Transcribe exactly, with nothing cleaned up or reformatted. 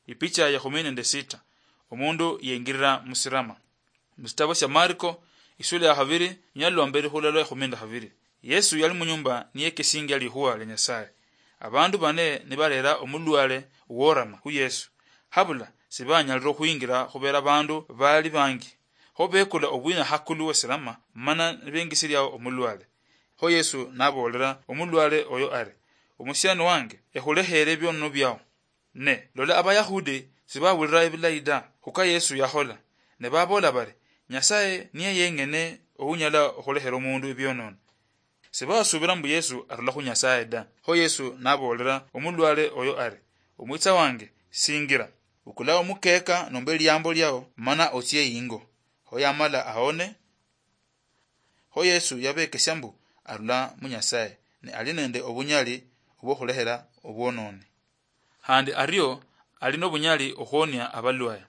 Ipicha ya kumi nende sita. Omundu yengirira musirama. Musitabo sya Marko, isula ya khabiri, nyalomba likhula lwa kumi nende khabiri. Yesu yali munyumba niyekesingia likhuwa lya Nyasaye. Abandu bane nibarera omulwale uworama khu Yesu. Habula sibanyalire okhwingira khubera abandu bali bangi. Kho bekula obwina hakulu wesirama, mana nibengisiriao omulwale. Kho Yesu nabolera omulwale oyo ari, "Omusiani wange, ekhulekhere ebionono biao." Ne lola, Abayahudi sibawulira ebilayi da khuka Yesu yakhola, ne babola bari, "Nyasaye niye yeng'ene ounyala okhulekhera omundu ebionono." Sibasubira mbu Yesu arula khu Nyasaye da. Kho Yesu nabolera omulwale oyo ari, "Omwitsa wange, singira, bukula omukeka nomba eliambo liao, mana otsie ingo." Kho yamala aone. Kho Yesu yabekesia mbu arula mu Nyasaye, ne ali nende obunyali obwokhulekhera obwononi. Khandi ario ali nobunyali okhwonia abalwaya.